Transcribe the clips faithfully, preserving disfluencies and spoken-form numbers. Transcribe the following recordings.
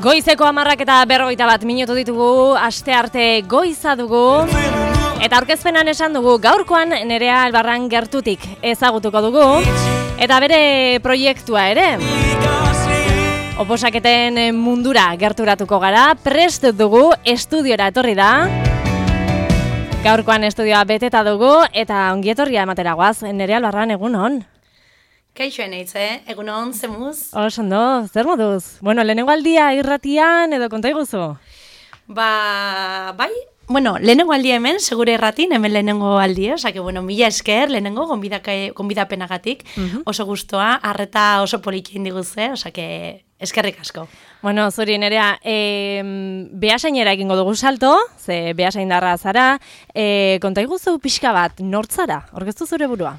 Goizeko hamarrak eta berrogeita bat minutu ditugu, aste arte goiza dugu. Eta aurkezpenan esan dugu, gaurkoan Nerea Albarran gertutik ezagutuko dugu. Eta bere proiektua ere. Oposaketen mundura gerturatuko gara, prest dugu, estudiora etorri da. Gaurkoan estudioa beteta dugu eta ongietorria ematera guaz. Nerea Albarran, egun hon? Kaixo eneitz, eh? Egun hon, zemuz? Osondo, zer moduz? Bueno, lehenengo aldia irratian edo konta iguzu? Ba, bai, bueno, lehenengo aldia hemen, segure erratin, hemen lehenengo aldia, osake, bueno, mila esker, lehenengo, gonbidapenagatik, uh-huh. Oso gustoa, arreta oso polikin diguzue, osake, eskerrik asko. Bueno, zuri Nerea, e, behasainera egingo dugu salto, ze behasaindarra zara, e, konta iguzu pixka bat, nortzara, orkestu zure burua?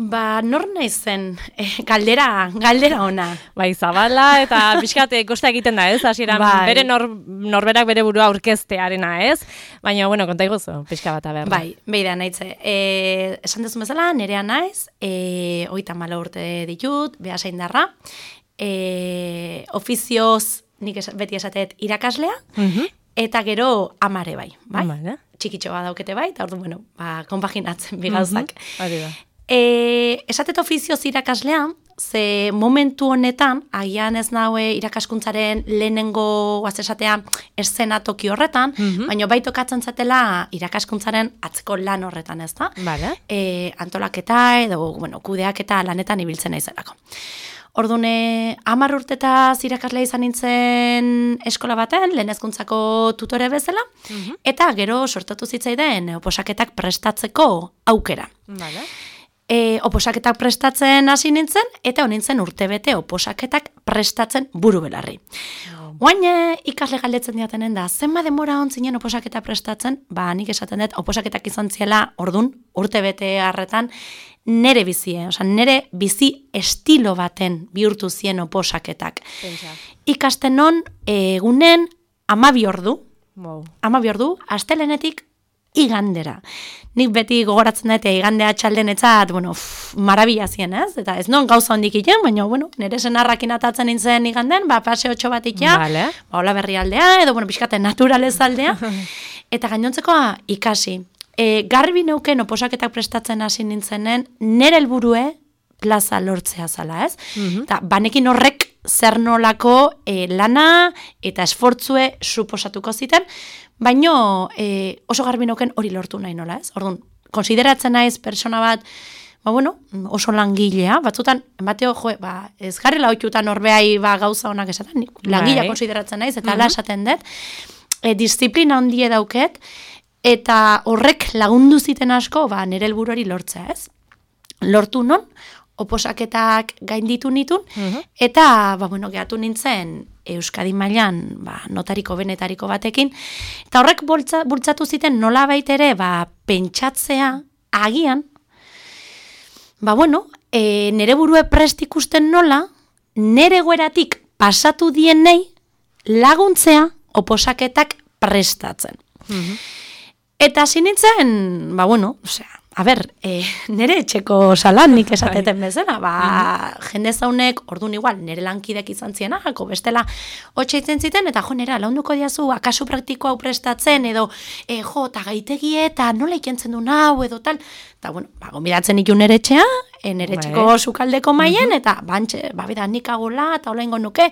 Ba, nor naizen, e, galdera, galdera ona. Bai, zabala eta pixkat kosta egiten da, ez? Hasieran bai. bere nor, norberak bere burua aurkeztearena, ez? Baina, bueno, konta iguzu, pixka bat aberra. Bai, beida naitze. E, esan dezu bezala, Nerea naiz, e, oita malo urte ditut, behasaindarra, e, ofizioz, nik es, beti esatet irakaslea, uh-huh. Eta gero amare bai, bai? Vale. Txikitxo bat daukete bai, eta ordu, bueno, ba, konpaginatzen bigauzak. Uh-huh. Hori da. E, esatet ofizioz irakaslea, ze momentu honetan, agian ez naue irakaskuntzaren lehenengo guazesatea eszenatoki horretan, mm-hmm. Baina bai tokatzen zatela irakaskuntzaren atzeko lan horretan, ez da? Vale. E, antolaketa edo, bueno, kudeaketa lanetan ibiltzen naizelako. Ordune, hamar urtetaz irakaslea izan nintzen eskola baten, lehen hezkuntzako tutore bezala, mm-hmm. Eta gero sortatu zitzaiden oposaketak prestatzeko aukera. Vale. E, oposaketak prestatzen hasi nintzen, eta honintzen urtebete oposaketak prestatzen buru belarri. Oain ikasle galdetzen diatenen da, zenba demora ontzinen oposaketa prestatzen, ba nik esaten dut oposaketak izan ziela ordun urtebete harretan nere bizie, oza, nere bizi estilo baten bihurtu zien oposaketak. Pentsa. Ikasten non egunen amabi ordu, wow. amabi ordu, astelenetik igandera. Nik beti gogoratzen dute igandea txaldenetzat, bueno, uff, marabila zien, ez? Eta ez non gauza hondik iten, baina, bueno, nire senarrakin atatzen nintzen iganden, ba, paseotxo bat ikia, vale. Ba, hola berri aldea, edo, bueno, pixkate naturalez aldea, eta gainontzekoa ikasi. E, garbi neuken oposaketak prestatzen hasi nintzenen, nire helburue plaza lortzea zala, ez? Mm-hmm. Eta banekin horrek zer nolako e, lana eta esfortzue suposatuko ziten, baino e, oso garbi neuken hori lortu nahi nola, ez? Orduan, konsideratzen naiz persona bat, ba bueno, oso langilea, batzutan, bateo, jo, ba, ez garrila oitutan horbeai ba, gauza honak esaten, langilea konsideratzen naiz, eta ala mm-hmm. esaten dut, e, disiplina handie dauket, eta horrek lagundu ziten asko, ba, nire helburuari lortzea, ez? Lortu non, oposaketak gainditu nitun, uh-huh. Eta, ba, bueno, gehatu nintzen Euskadi mailan, ba, notariko benetariko batekin, eta horrek bultza, bultzatu ziten nola baitere, ba, pentsatzea, agian, ba, bueno, e, nere burue prest ikusten nola, nere goeratik pasatu dienei laguntzea oposaketak prestatzen. Uh-huh. Eta zinintzen, ba, bueno, osea, a ber, e, nere etxeko salan nik esateten bezala, ba, mm-hmm. Jende zaunek, orduan igual, nere lankidek izan zienako, bestela, hotxa itzen ziten, eta jo, nera, launduko diazu, akaso praktiko hau prestatzen, edo, e, jo, eta gaitegie, eta nola ikentzen du nau, edo tal, eta, bueno, ba, gombidatzen ikun nere etxea, e, nere etxeko sukaldeko maien, mm-hmm. Eta, bantxe, ba, bida, nik agola, eta hola ingo nuke,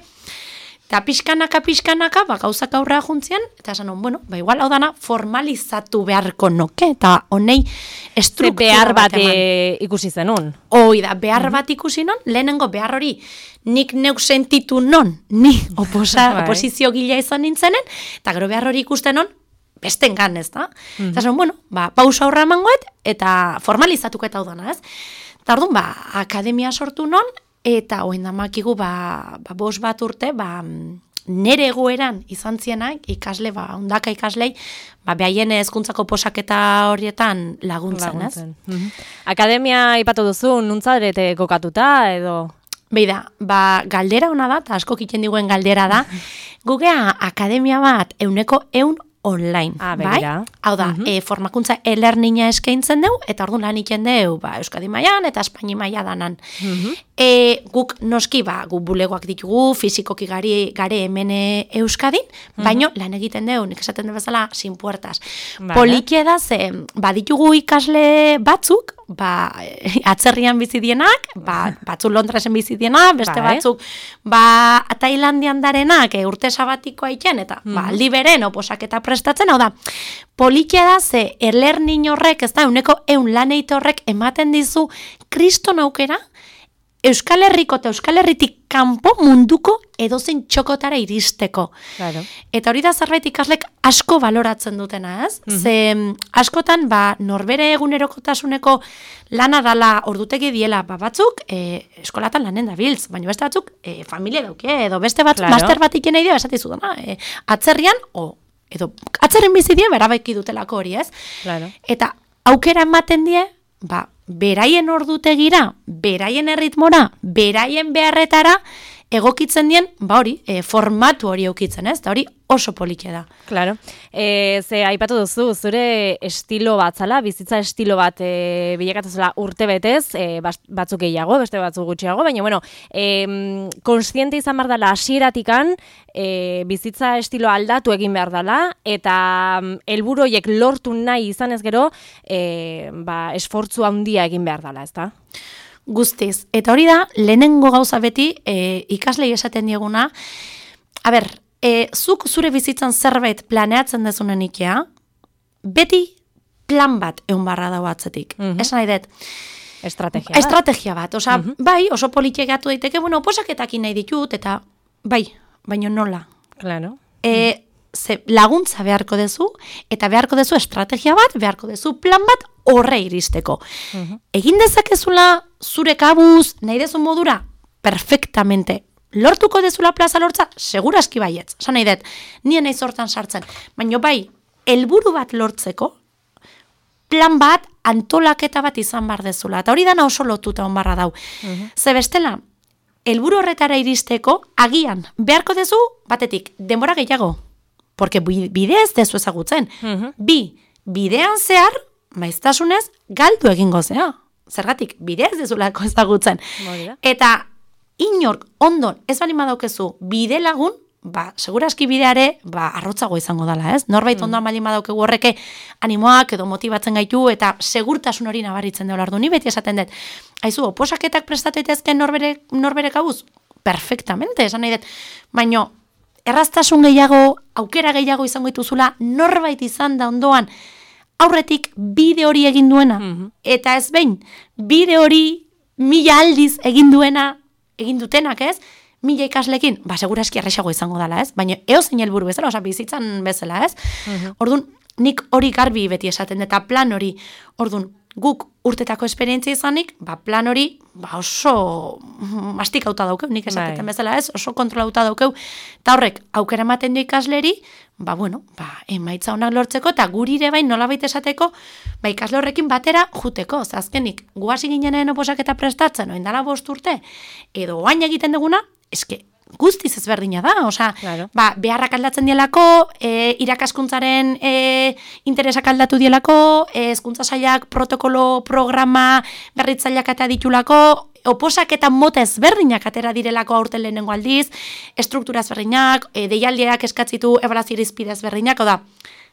eta pixkanaka, pixkanaka, ba, gauzak aurrea juntzien, eta esan hon, bueno, ba, igual hau dana formalizatu beharko nuke, eta honei estruktura behar bat e, ikusi zenun. Hoi da, behar mm-hmm. bat ikusi non, lehenengo behar hori nik neuk sentitu non, ni oposa, oposizio gila izan nintzenen, eta gero behar hori ikusten non, besten gan, ez da? Mm-hmm. Eta esan, bueno, ba, pausa horra emangoet, eta formalizatuko eta hau dana, ez? Eta orduan, ba, akademia sortu non, eta oen damakigu, ba, ba, bos bat urte, ba, nere egoeran izan zienak, ikasle, ba, ondaka ikaslei, ba, behaien hezkuntzako posaketa horietan laguntzen, laguntzen. Ez? Mm-hmm. Akademia ipatu duzu, nuntzaderete kokatuta, edo? Beida, ba, galdera hona da, eta asko kiten diguen galdera da, gugea akademia bat euneko eun online, ah, bai? Hau da, uh-huh. e, formakuntza e-learninga eskaintzen dugu, eta orduan lan egiten dugu, ba, Euskadi mailan eta Espaini maila danan. Uh-huh. E, guk noski, ba, guk bulegoak ditugu, fizikoki gari, gare hemen Euskadin, uh-huh. baino lan egiten dugu, nik esaten du bezala, sin puertas. Vale. Polikia da, ze, ba, ditugu ikasle batzuk, ba, atzerrian bizi dienak, ba, batzuk Londresen bizi dienak, beste vale. batzuk, ba, Tailandian darenak, e, urte sabatikoa iten, eta, uh-huh. ba, aldi beren, oposaketa prestatzen, hau da, polikia da, ze, e-learning horrek, ez da, euneko eun lan eite horrek ematen dizu, kriston aukera, Euskal Herriko eta Euskal Herritik kanpo munduko edozein txokotara iristeko. Claro. Eta hori da zerbait ikaslek asko baloratzen dutena, ez? Mm-hmm. Ze askotan, ba, norbere egunerokotasuneko lana dala ordutegi diela, ba, batzuk e, eskolatan lanen dabiltz, baina beste batzuk e, familia dauke, edo beste batzuk claro. master bat iken nahi dio, esatizu dana, e, atzerrian, o, edo atzerren bizi die, berabaiki dutelako hori, ez? Claro. Eta aukera ematen die, ba, beraien ordutegira, beraien erritmora, beraien beharretara, egokitzen dien, ba hori, e, formatu hori eukitzen, ez? Eta hori oso politia da. Claro. E, ze aipatu duzu, zure estilo bat zala, bizitza estilo bat e, bilakatu zela urte betez, e, batzuk gehiago, beste batzuk gutxiago, baina, bueno, e, konstiente izan behar dela hasieratikan, e, bizitza estilo aldatu egin behar dela, eta helburu horiek lortu nahi izan ez gero, e, ba, esfortzu handia egin behar dela, ez da? Guztiz. Eta hori da, lehenengo gauza beti, e, ikaslei esaten dieguna, a ber, e, zuk zure bizitzan zerbait planeatzen dezunen ikea, beti plan bat egon barra dago atzetik. Mm-hmm. Esan nahi dut. Estrategia bat. Estrategia bat. Osa, mm-hmm. bai, oso polikiegatu daiteke, bueno, posaketakin nahi ditut, eta bai, baino nola. Claro. E, mm. Ze laguntza beharko dezu, eta beharko dezu estrategia bat, beharko dezu plan bat horre iristeko. Uh-huh. Egin dezakezula zure kabuz, nahi dezu modura, perfectamente. Lortuko dezula plaza lortza, seguraski baietz. Esan nahi dut, nien nahi zortan sartzen. Baina bai, helburu bat lortzeko, plan bat, antolaketa bat izan bar dezula. Eta hori dana oso lotuta on barra dau. Uh-huh. Ze bestela, helburu horretara iristeko, agian, beharko dezu, batetik, denbora gehiago. Porque bidea ez dezu ezagutzen. Uh-huh. Bi, bidean zehar, maiztasunez, galdu egingo zea. Zergatik, bidea ez dezulako ezagutzen. Morida. Eta inork ondon ez bali madaukezu bide lagun, ba, seguraski bideare, ba, arrotzago izango dala, ez? Norbait uh-huh. ondoan bali madaukegu horreke animoak edo motibatzen gaitu, eta segurtasun hori nabaritzen dela ordu. Ni beti esaten dut, haizu, oposaketak prestatu daitezke norbere, norbere kabuz? Perfectamente, esan nahi dut. Baina, erraztasun gehiago, aukera gehiago izango dituzula, norbait izan da ondoan, aurretik bide hori egin duena, mm-hmm. eta ez behin, bide hori mila aldiz egin duena, egin dutenak, ez? Mila ikaslekin, ba, seguraski erresago izango dela, ez? Baina eozein helburu bezala, oza, bizitzan bezala, ez? Mm-hmm. Orduan, nik hori garbi beti esaten, eta plan hori, orduan, guk urtetako esperientzia izanik, ba, plan hori ba, oso mastikauta daukeu, nik esateten bezala ez, oso kontrolauta daukeu, eta horrek aukera ematen du ikasleri, ba, bueno, ba, emaitza honak lortzeko, eta gurire bain nolabait esateko, ba, ikasle horrekin batera juteko, azkenik, guazi ginenen oposaketa prestatzen, oin dala bost urte, edo oain egiten duguna, eske, guztiz ezberdina da, osea, claro. Ba, beharrak aldatzen dielako, e, irakaskuntzaren e, interesak aldatu dielako, e, hezkuntza sailak protokolo programa berritzaileak eta ditulako, oposak eta mota ezberdinak atera direlako aurten lehenengo aldiz, struktura ezberdinak, e, deialdiak eskatzitu ebalazio irizpide ezberdinak, oda,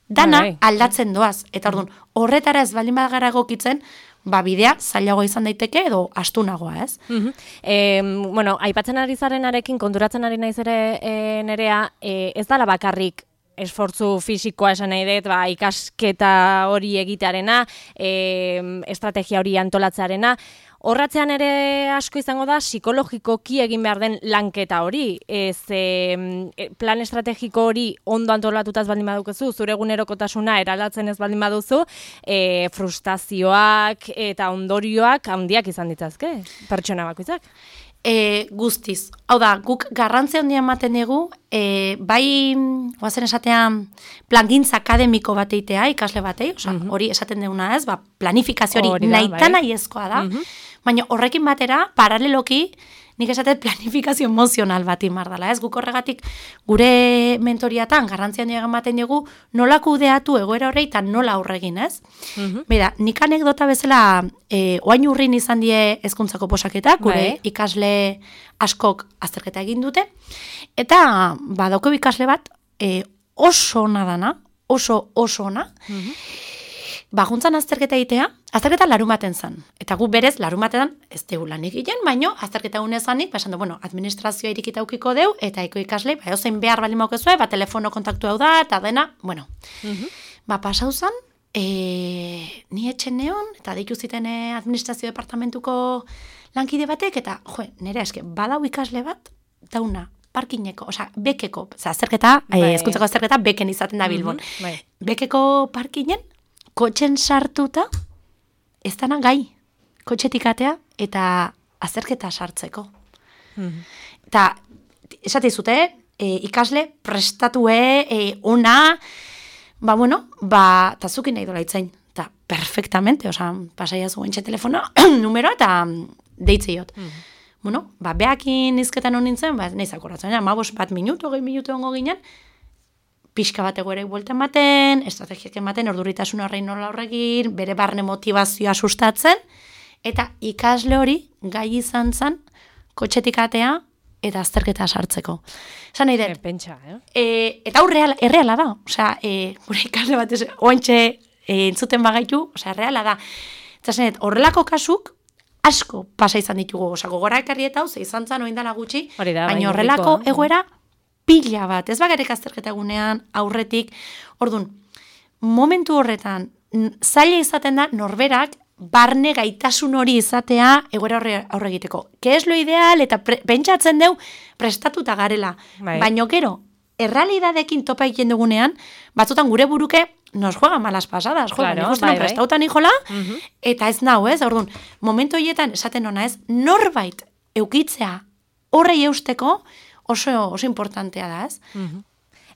dana okay. aldatzen doaz, eta orduan, horretara ez baldin badagara egokitzen, ba, bidea zailago izan daiteke edo astunagoa, ez? Uh-huh. E, bueno, aipatzen ari zarenarekin, konturatzen ari naiz ere e, nerea, e, ez dala bakarrik esfortzu fisikoa esan nahi dut, ba, ikasketa hori egitearena, e, estrategia hori antolatzearena, horratzean ere asko izango da, psikologikoki egin behar den lanketa hori. Ez, e, plan estrategiko hori ondo antolatuta ez baldin badukezu, zure egunerokotasuna eraldatzen ez baldin baduzu, e, frustrazioak eta ondorioak handiak izan ditzazke, pertsona bakoitzak. E, guztiz. Hau da, guk garrantzia handia ematen dugu, e, bai, guazen esatean, plangintza akademiko bat eitea, ikasle batei, oza, uh-huh. hori esaten duguna ez, ba, planifikazio hori nahitan nahiezkoa da, uh-huh. baina horrekin batera, paraleloki, nik esatet planifikazio emozional bat imar dela, ez? Guk horregatik gure mentoriatan garrantzian diagan baten dugu nola kudeatu egoera horrei eta nola aurregin, ez? Mm-hmm. Bera, nik anekdota bezala e, oain urrin izan die hezkuntzako oposaketak, gure bai. Ikasle askok azterketa egin dute, eta badauko ikasle bat e, oso ona dana, oso oso ona, mm-hmm. Ba, juntzan azterketa egitea, azterketa larumaten zan. Eta gu berez, larumatetan ez dugu lan egiten, baino, azterketa unezanik, ba, esan du, bueno, administrazioa irikita ukiko deu, eta eko ikasle, ba, eusein behar bali maukezue, ba, telefono kontaktu hau da, eta dena, bueno. Mm-hmm. Ba, pasau zan, e, ni etxen neon, eta deiku ziten administrazio departamentuko lankide batek, eta, jo, nire eske, badau ikasle bat, dauna, parkineko, osea, bekeko, oza, azterketa, bai. Hezkuntzako azterketa, beken izaten da Bilbon. Mm-hmm. Bai. Bekeko parkinen, kotxen sartuta, ez dana gai, kotxetik atea, eta azterketa sartzeko. Mm-hmm. Eta, esate zute, e, ikasle, prestatue, e, ona, ba, bueno, ba, eta zukin nahi dola itzain, eta perfectamente, oza, pasaia zuen txe telefono, numero, eta deitzeiot. Mm-hmm. Bueno, ba, behakin izketan honintzen, ba, nahi zakoratzen, ma bos bat minutu, gehi minutu ongo ginen, pixka bat egoerek buelten baten, estrategiak ematen, orduritasun horrein nola horregin, bere barne motivazioa sustatzen, eta ikasle hori gai izan zen, kotxetik atea, eta azterketa sartzeko. Esan nahi dut. Pentsa, eh? E, eta hau reala, erreala da. Osea, e, gure ikasle bat ez, oantxe e, entzuten bagaitu, osea, erreala da. Eta esan dut, horrelako kasuk, asko pasa izan ditugu. Osea, gogora ekarri eta hau, ze izan zan oindala gutxi, baina horrelako egoera, pila bat, ez bagarek azterketa egunean, aurretik, orduan, momentu horretan, zaila izaten da, norberak, barne gaitasun hori izatea egoera horre, aurre egiteko. Ke es lo ideal, eta pre, pentsatzen deu, prestatuta garela. Bai. Baina gero, errealidadekin topa egiten dugunean, batzutan gure buruke, nos juega malas pasadas, jo, claro, nik uste bai, prestautan ijola, uh-huh. Eta ez nau, ez, orduan, momentu horietan, esaten ona ez, norbait eukitzea horrei eusteko, oso, oso importantea da, ez? Uh-huh.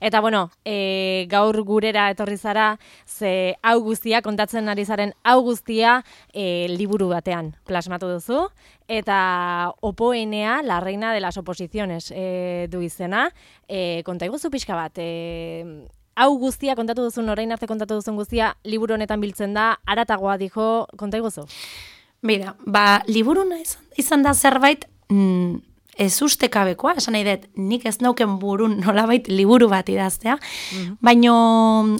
Eta, bueno, e, gaur gurera etorri zara, ze hau guztia, kontatzen ari zaren hau guztia, e, liburu batean plasmatu duzu, eta Opoenea, la reina de las oposiciones e, du izena. E, konta iguzu pixka bat, e, hau guztia kontatu duzun, orain arte kontatu duzun guztia, liburu honetan biltzen da, aratagoa dijo, konta iguzu? Bida, ba, liburuna izan, izan da zerbait, mm, ez ustekabekoa, esan nahi dut, nik ez nauken burun nolabait liburu bat idaztea, mm-hmm. Baino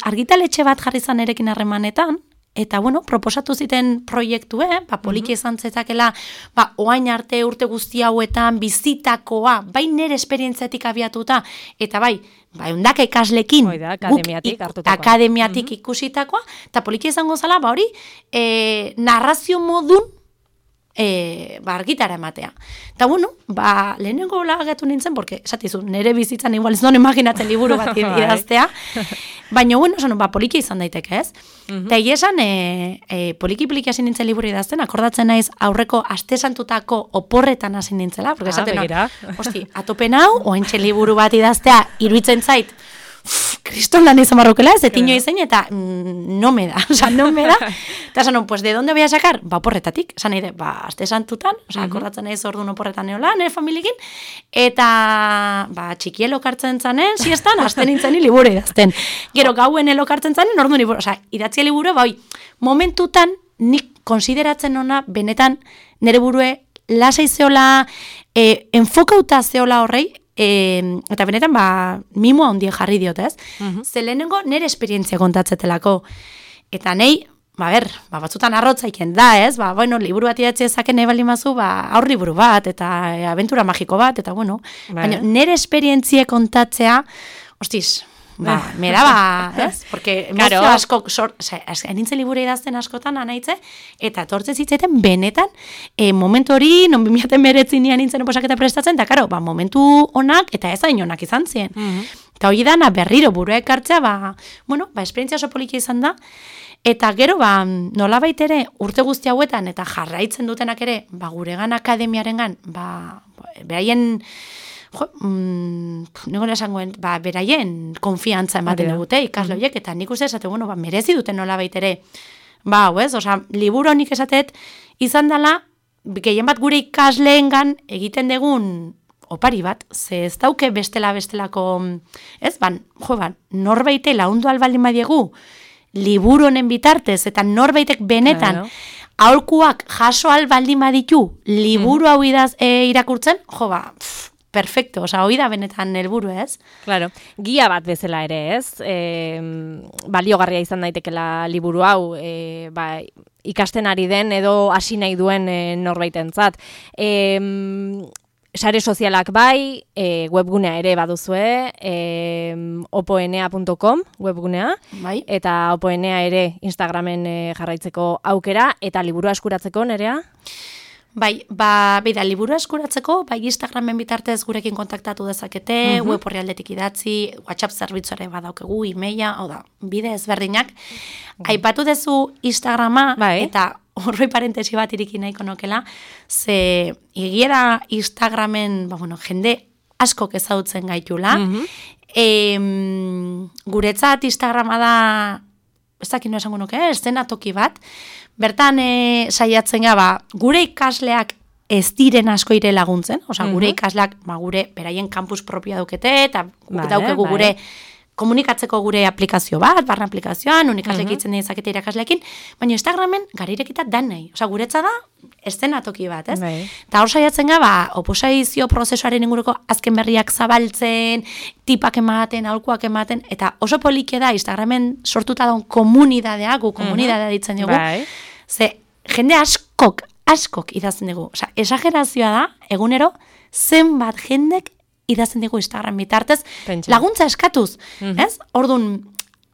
argitaletxe bat jarri zan erekin harremanetan, eta bueno, proposatu ziten proiektu, eh? Ba, poliki izan zetakela, ba, oain arte urte guzti hauetan bizitakoa, bai nire esperientziatik abiatuta, eta bai, ba, eundaka ikaslekin, Oida, akademiatik, guk, akademiatik mm-hmm. ikusitakoa, eta poliki izango zala, ba hori, e, narrazio modun, E, ba, argitara ematea. Eta bueno, ba, lehenengo lagatu nintzen, porque, esatizu, nire bizitzan igual ez non imaginatzen liburu bat idaztea, baina, bueno, esan, ba, poliki izan daiteke, ez? Uh-huh. Eta esan, e, e, poliki-poliki hasi nintzen liburu idazten, akordatzen naiz aurreko astesantutako oporretan hasi nintzela, porque esaten, ah, no, hosti, atopen hau, oentxe liburu bat idaztea, iruditzen zait, kriston lan izan barrukela, ez etino izen, eta mm, no me da, oza, no me da. Eta esan, pues, ¿de dónde voy a sacar? Ba, oporretatik, esan nahi de, ba, aste santutan, oza, akordatzen nahi orduan oporretan neola, nire familiekin, eta, ba, txikielo kartzen zanen, siestan, aste nintzen liburu idazten. Gero, gauen elokartzen zanen, orduan liburu, oza, idatzia liburu, ba, oi, momentutan, nik konsideratzen ona, benetan, nire burue, lasai zeola, e, enfokauta zeola horrei, E, eta benetan, ba, mimoa ondien jarri diot, ez? Uh-huh. Ze lehenengo nire esperientzia kontatzetelako. Eta nei, ba, ber, ba, batzutan arrotzaiken da, ez? Ba, bueno, liburu bat idatzi ezaken nahi bali mazu, ba, aur liburu bat, eta e, aventura magiko bat, eta bueno. Baina nire esperientzia kontatzea, hostiz, ba, me daba, ez? Porque emozio claro. asko, sor, o sea, nintzen liburu idazten askotan, anaitze, eta tortze zitzaiten benetan, e, momentu hori, non bimiaten beretzin nian nintzen oposaketa prestatzen, eta karo, ba, momentu onak, eta ez hain onak izan ziren. Mm-hmm. Eta hori dana berriro burua ekartzea, ba, bueno, ba, esperientzia oso poliki izan da, eta gero, ba, nolabait ere, urte guzti hauetan, eta jarraitzen dutenak ere, ba, guregan akademiarengan, ba, beraien, jo, mm, negoen esangoen, ba, beraien konfiantza ematen dugute, ikasle horiek, eta nik uste esate, bueno, ba, merezi duten nola baitere, ba, ez, oza, liburu honik esatet, izan dela, gehien bat gure ikasleengan egiten dugun opari bat, ze ez dauke bestela bestelako, ez, ban, jo, ban, norbeite laundu albaldin badiegu, liburu honen bitartez, eta norbaitek benetan, claro. Aholkuak jaso albaldin baditu, liburu hau idaz, e, irakurtzen, jo, ba, pff, perfecto, oza, hoi da benetan helburu, ez? Claro, gia bat bezala ere, ez? E, baliogarria izan daitekela liburu hau, e, ba, ikasten ari den edo hasi nahi duen e, norbaitentzat. E, sare sozialak bai, e, webgunea ere baduzue, e, opoenea punto com webgunea, bai. Eta opoenea ere Instagramen e, jarraitzeko aukera, eta liburua eskuratzeko, Nerea? Bai, ba, beida, liburu eskuratzeko, bai Instagramen bitartez gurekin kontaktatu dezakete, uh-huh. web horrialdetik idatzi, WhatsApp zerbitzuare badaukegu, e-maila, hau da, bide ezberdinak. Uh-huh. Aipatu dezu Instagrama, bai. Eta horroi parentesi bat iriki nahiko nokela, ze egiera Instagramen, ba, bueno, jende askok ezagutzen gaitula, uh-huh. e, guretzat Instagrama da, ez dakit no esango nuke, eszenatoki bat, bertan e, saiatzen gaba, gure ikasleak ez diren asko ire laguntzen, osea, gure mm-hmm. ikasleak, ba, gure, beraien campus propia daukete, eta vale, daukegu vale. Gure komunikatzeko gure aplikazio bat, barra aplikazioan, unikasleak mm-hmm. itzen dizakete irakasleekin, baina Instagramen garirekita dan nahi, osea, guretza da, eszenatoki bat, ez? Bai. Eta hor saiatzen gaba, oposizio prozesuaren inguruko azken berriak zabaltzen, tipak ematen, aholkuak ematen, eta oso polike da Instagramen sortuta daun komunidadea, gu komunidadea ditzen dugu, bai. Ze jende askok, askok idazten dugu. Osa, esagerazioa da, egunero, zenbat jendek idazten dugu Instagram bitartez, pentsa. Laguntza eskatuz, mm-hmm. ez? Orduan,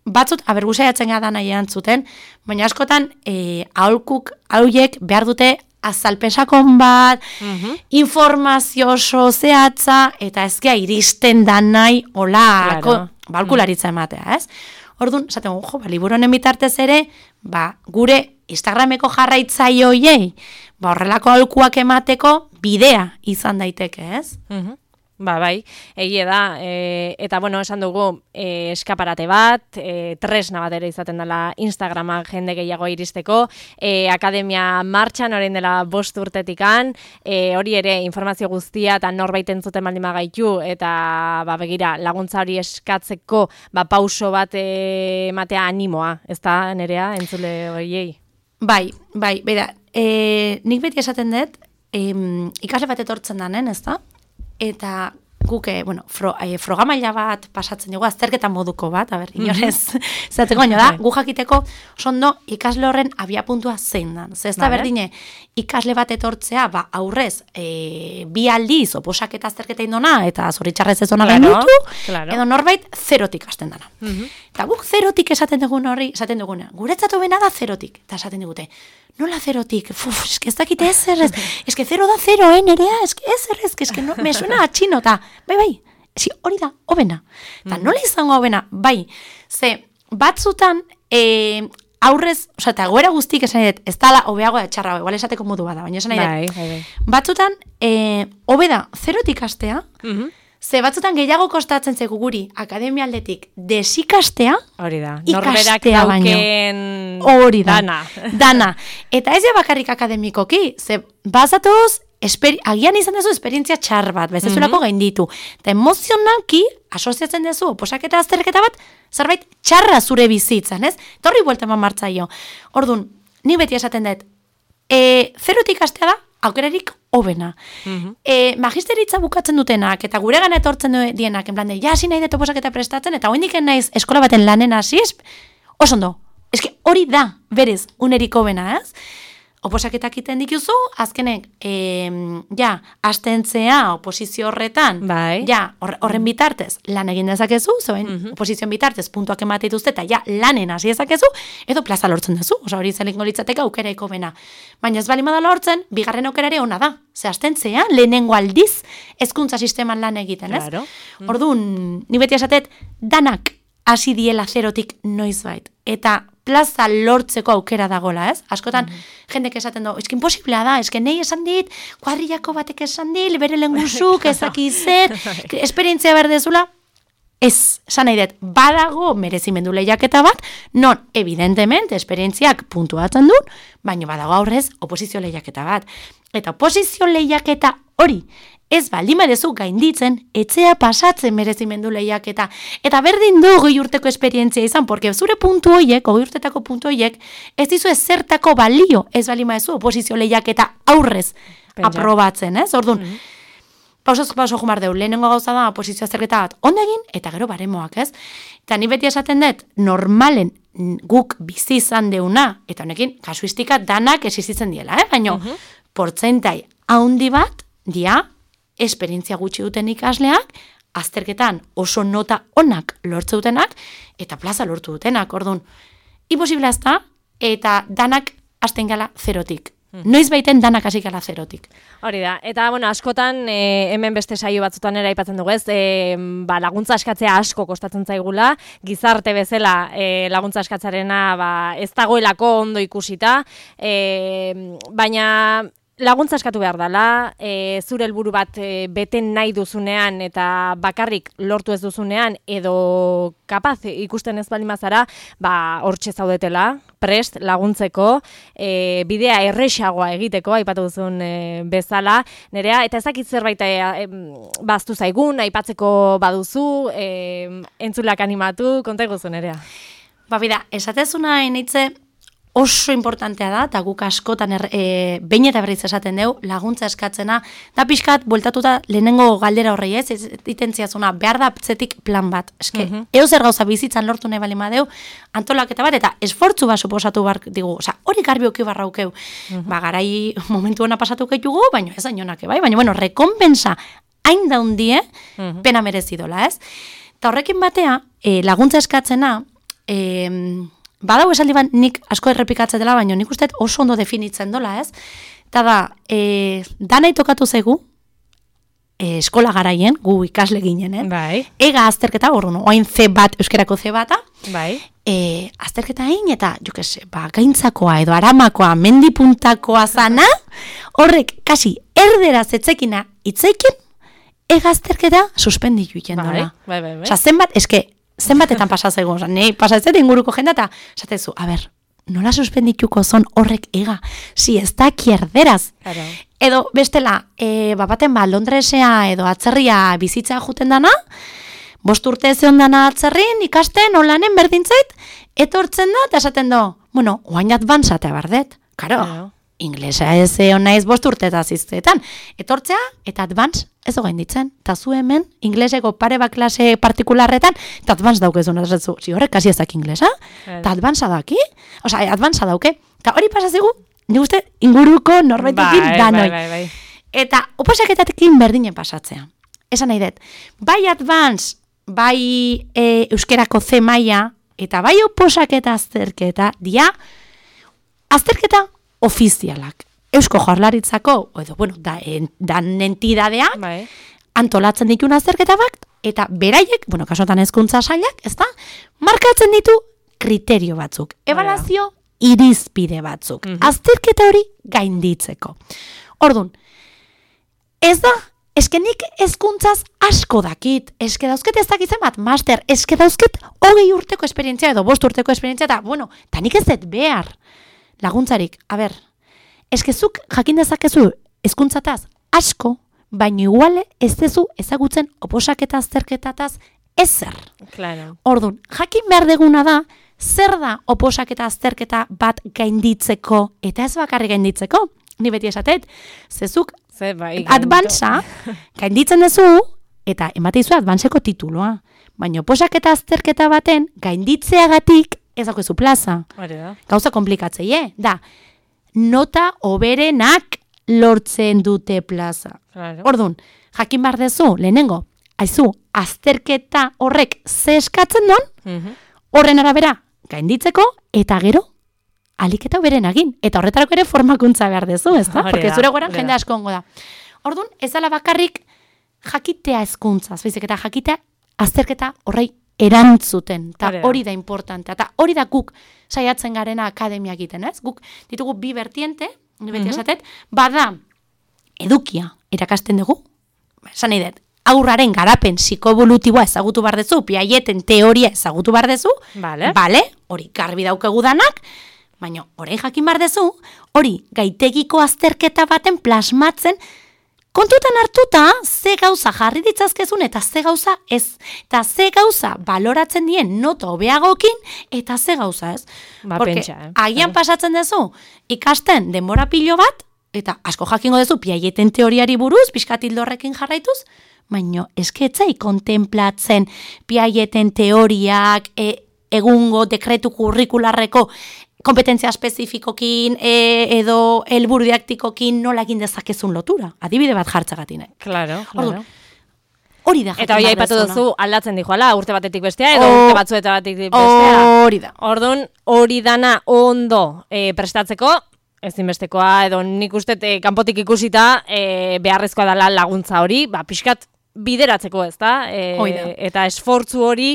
batzut, abergusaiatzen gara nahi erantzuten, baina askotan, e, aholkuk, hauiek behar dute azalpesakon bat, mm-hmm. informazio oso zehatza, eta ezkea iristen da nahi, hola, claro. Balkularitza ematea, ez? Orduan, esaten gu, jo, ba, liburu honen bitartez ere, ba, gure Instagrameko jarraitzaile hoiei, ba, horrelako aholkuak emateko bidea izan daiteke, ez? Mhm. Ba, bai, egie da, e, eta bueno, esan dugu e, eskaparate bat, e, tresna bat ere izaten dela Instagrama jende gehiago iristeko, e, akademia martxan orain dela bost urtetikan, e, hori ere informazio guztia eta norbait entzuten baldin bagaitu, eta ba, begira, laguntza hori eskatzeko ba, pauso bat e, ematea animoa, ez da, Nerea, entzule horiei? Bai, bai, bera, e, nik beti esaten dut, e, ikasle bat etortzen danen, ez da? Eta guke, bueno, fro, e, frogamaila bat pasatzen dugu, azterketa moduko bat, a ber, inorez, zaten goño da, gu jakiteko, sondo, ikasle horren abiapuntua zein dan. Ze ez da berdine, ikasle bat etortzea, ba, aurrez, e, bi aldiz, oposaketa azterketa indona, eta zoritxarrez ez ona claro, gainditu, claro. Edo norbait, zerotik hasten dana. Uh-huh. Eta guk zerotik esaten dugun horri, esaten duguna, guretzatu bena da zerotik, eta esaten digute, nola zerotik? Uf, eske ez dakite ezer, ez, eske zero da zero, eh, Nerea, eske ezer, eske, eske no, me suena a txino, eta, bai, bai, ezi, hori da, hobena. Eta mm. nola izango hobena, bai, ze, batzutan, e, aurrez, oza, eta goera guztik esan edet, ez dala hobeago da txarra, igual esateko modu bada, baina esan edet, bai, bai, bai. Batzutan, e, hobeda, zerotik astea, mm-hmm. Ze batzutan gehiago kostatzen zegu guri akademialdetik desikastea, hori da, norberak dauken hori da, dana. dana. Eta ez ja bakarrik akademikoki, ze bazatuz, esperi, agian izan dezu esperientzia txar bat, bezazulako mm-hmm. gainditu. Eta emozionalki, asoziatzen dezu, oposaketa azterketa bat, zerbait txarra zure bizitzan, ez? Eta horri buelta eman martzaio. Orduan, ni beti esaten dut, e, zerotik astea da, aukerarik hobena. Mm-hmm. E, magisteritza bukatzen dutenak, eta gure gana etortzen dienak, en plan de, ja, hasi nahi dut oposaketa prestatzen, eta hoendik naiz eskola baten lanen hasi, oso ondo. Eske hori da, berez, unerik hobena, ez? Oposaketak iten dituzu, azkenek, e, ja, astentzea oposizio horretan, bai. Ja, horren bitartez, lan egin dezakezu, zoen, mm-hmm. oposizioan bitartez, puntuak emate dituzte, eta ja, lanen hasi dezakezu, edo plaza lortzen dezu, oza, hori zelingo litzateka aukeraiko bena. Baina ez bali madala lortzen, bigarren aukerare ona da. Ze astentzea, lehenengo aldiz, hezkuntza sisteman lan egiten, ez? Claro. Mm. Orduan, ni beti esatet, danak hasi diela zerotik noizbait. Eta plaza lortzeko aukera dagola, ez? Askotan, mm-hmm. jendek esaten du, eski imposiblea da, eski nahi esan dit, kuadrillako batek esan dit, bere lenguzuk, ezaki zer, esperientzia berdezula, Ez, esan nahi dut, badago merezimendu lehiaketa bat, non, evidentemente, esperientziak puntuatzen duen, baina badago aurrez oposizio lehiaketa bat. Eta oposizio lehiaketa hori, ez baldin badezu gainditzen, etxea pasatzen merezimendu lehiaketa. Eta berdin du goi urteko esperientzia izan, porque zure puntu hoiek, goi urtetako puntu hoiek, ez dizu ezertako balio, ez baldin badezu oposizio lehiaketa aurrez Pentsa. aprobatzen, ez? Orduan, mm-hmm. Pausaz pauso jumar deu, lehenengo gauza da oposizio azterketa bat ondo egin, eta gero baremoak, ez? Eta ni beti esaten dut, normalen guk bizi izan deuna, eta honekin, kasuistika danak existitzen diela, eh? Baina, uh-huh. portzentai haundi bat, dia, esperientzia gutxi duten ikasleak, azterketan oso nota onak lortze dutenak, eta plaza lortu dutenak, orduan, imposible azta, eta danak hasten gala zerotik. Noiz baiten danak hasi gala zerotik. Hori da, eta bueno, askotan e, hemen beste saio batzutan ere aipatzen dugu ez, e, ba, laguntza eskatzea asko kostatzen zaigula, gizarte bezala e, laguntza eskatzarena ba, ez dagoelako ondo ikusita, e, baina laguntza eskatu behar dela, e, zure helburu bat e, beten nahi duzunean eta bakarrik lortu ez duzunean edo kapaz ikusten ez baldin bazara, ba hortxe zaudetela, prest laguntzeko, e, bidea erresagoa egiteko, aipatu duzun e, bezala, nerea, eta ezakit zerbait e, e, baztu zaigun, aipatzeko baduzu, e, entzulak animatu, konta eguzu nerea. Ba bida, esatezuna enitze, oso importantea da, eta guk askotan er, e, behin eta berriz esaten dugu, laguntza eskatzena, da pixkat, bueltatuta lehenengo galdera horrei ez, ez itentziazuna, behar da zetik plan bat. Eske, uh-huh. eo zer gauza bizitzan lortu nahi bali madeu, antolaketa bat, eta esfortzu bat suposatu bar digu, oza, hori garbi oki barraukeu. Uh-huh. Ba, garai momentu hona pasatu keitugu, baina ez ainonak, bai? Baina, bueno, rekompensa hain daundie, uh-huh. pena merezidola, ez? Eta horrekin batea, e, laguntza eskatzena, e, badau esaldi bat nik asko errepikatzen dela, baina nik uste oso ondo definitzen dola, ez? Eta da, e, danai tokatu zaigu, e, eskola garaien, gu ikasle ginen, eh? Bai. Ega azterketa, orduan, oain ze bat, euskerako ze bata, bai. E, azterketa egin, eta, jo que se, ba, gaintzakoa edo aramakoa, mendipuntakoa zana, horrek, kasi, erderaz etzekina itzeikin, ega azterketa suspenditu iken dola. Bai, bai, bai. Osa, zenbat, eske, zenbatetan pasazego, oza, nahi pasatzen inguruko jenda, eta esatezu, a ber, nola suspendituko zon horrek ega, si ez da kierderaz. Claro. Edo, bestela, e, bapaten ba, Londresea edo atzerria bizitza juten dana, bost urte zeon dana atzerrin, ikasten, olanen berdintzait, etortzen da, eta esaten do, bueno, oain advanzatea bardet, karo, claro. Inglesa ez egon naiz bost urte eta ziztetan. Etortzea eta advance ez ogain ditzen. Eta zu hemen, ingleseko pare bat klase partikularretan, eta advance daukezun. Si horrek kasi ezak inglesa, eta advance daki, oza, advance dauke. Eta hori pasazigu, ni uste inguruko norbaitekin bai, danoi. Bai, bai, bai. Eta oposaketatekin berdinen pasatzea. Esan nahi dut, bai advance, bai e, euskerako ze maila, eta bai oposaketa azterketa, dia, azterketa ofizialak. Eusko Jaurlaritzako, edo, bueno, da, en, dan entidadeak, bai. antolatzen ditun azterketa bat, eta beraiek, bueno, kasotan hezkuntza sailak, ez da, markatzen ditu kriterio batzuk, ebaluazio irizpide batzuk, uh-huh. azterketa hori gainditzeko. Orduan, ez da, eske nik hezkuntzaz asko dakit, eske dauzket ez dakitzen bat, master, eske dauzket hogei urteko esperientzia, edo bost urteko esperientzia, eta, bueno, eta nik ez dut behar, laguntzarik, a ber, eskezuk jakin dezakezu hezkuntzataz asko, baina iguale ez dezu ezagutzen oposaketa azterketataz ezer. Claro. Orduan, jakin behar deguna da, zer da oposaketa azterketa bat gainditzeko, eta ez bakarri gainditzeko, ni beti esatet, zezuk Ze, bai, advantza gainditzen dezu, eta emateizu advantzeko tituloa, baina oposaketa azterketa baten gainditzeagatik ez daukezu plaza. Da. Gauza komplikatzeie, eh? Da, nota oberenak lortzen dute plaza. Claro. Orduan, jakin behar dezu, lehenengo, haizu, azterketa horrek ze eskatzen don, uh-huh. horren arabera gainditzeko, eta gero, aliketa oberen egin. Eta horretarako ere formakuntza behar dezu, ez da? Porque zure goran jende asko ongo da. Orduan, ez dela bakarrik jakitea hezkuntzaz, baizik eta jakitea azterketa horrei erantzuten, eta hori da importantea, eta hori da guk saiatzen garena akademia egiten, ez? Guk ditugu bi vertiente, ni beti esatet, bada edukia irakasten dugu, esan nahi dut, aurraren garapen psikoevolutiboa ezagutu behar dezu, Piageten teoria ezagutu behar dezu, Vale. bale, hori garbi daukegu danak, baina orain jakin behar dezu, hori gaitegiko azterketa baten plasmatzen, kontutan hartuta, ze gauza jarri ditzazkezun eta ze gauza ez. Eta ze gauza baloratzen dien nota hobeagokin eta ze gauza ez. Ba, Porque pentsa, eh? agian pasatzen dezu, ikasten denbora pilo bat, eta asko jakingo dezu Piageten teoriari buruz, pixkatildo horrekin jarraituz, baina esketzai kontemplatzen Piageten teoriak, e, egungo dekretu kurrikularreko kompetentzia espezifikokin e, edo helburu didaktikokin nola egin dezakezun lotura. Adibide bat jartzagatik. Claro, claro. Hori da. Eta hori aipatu duzu aldatzen dijoala, urte batetik bestea, edo O- urte batzuetatik bestea. Hori da. Orduan, hori dana ondo e, prestatzeko, ezinbestekoa, edo nik uste e, kanpotik ikusita e, beharrezkoa dela laguntza hori, ba, pixkat bideratzeko ez da, e, Hoi da. eta esfortzu hori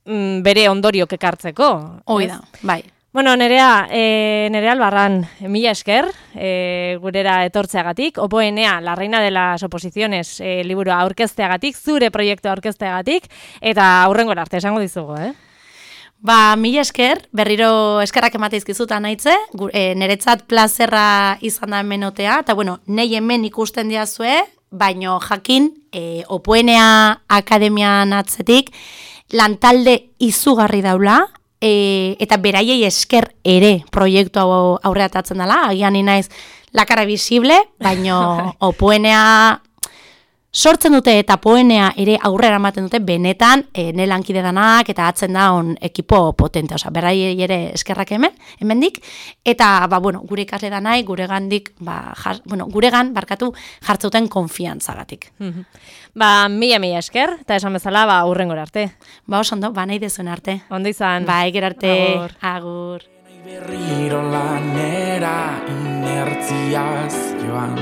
mm, bere ondoriok ekartzeko. Hoi ez? da, bai. Bueno, nerea, e, nerea albarran, mila esker, e, gurera etortzeagatik, opoenea, la reina de las oposiciones, e, liburua aurkezteagatik, zure proiektu aurkezteagatik, eta aurrengora arte esango dizugu, eh? Ba, mila esker, berriro eskerrak emateizkizuta naitze, gu- e, niretzat plazerra izan da hemenotea, eta bueno, nei hemen ikusten diazue, baino jakin, e, opoenea akademian atzetik, lantalde izugarri daula, e, eta beraiei esker ere proiektu hau aurreatatzen dela, agian ni naiz lakara visible, baino opoenea sortzen dute eta poenea ere aurrera ematen dute benetan e, ne lankide danak eta atzen da on ekipo potente, osea, beraiei ere eskerrak hemen, hemendik, eta ba, bueno, gure ikasle danai, guregandik, ba, jas, bueno, guregan barkatu jartzeuten konfiantzagatik. Ba, mila mila esker, eta esan bezala, ba, aurrengora arte. Ba, oso ondo, ba, nahi dezuen arte. Ondo izan. Bai, gero arte, Agur. agur. Berriro lanera inertziaz joan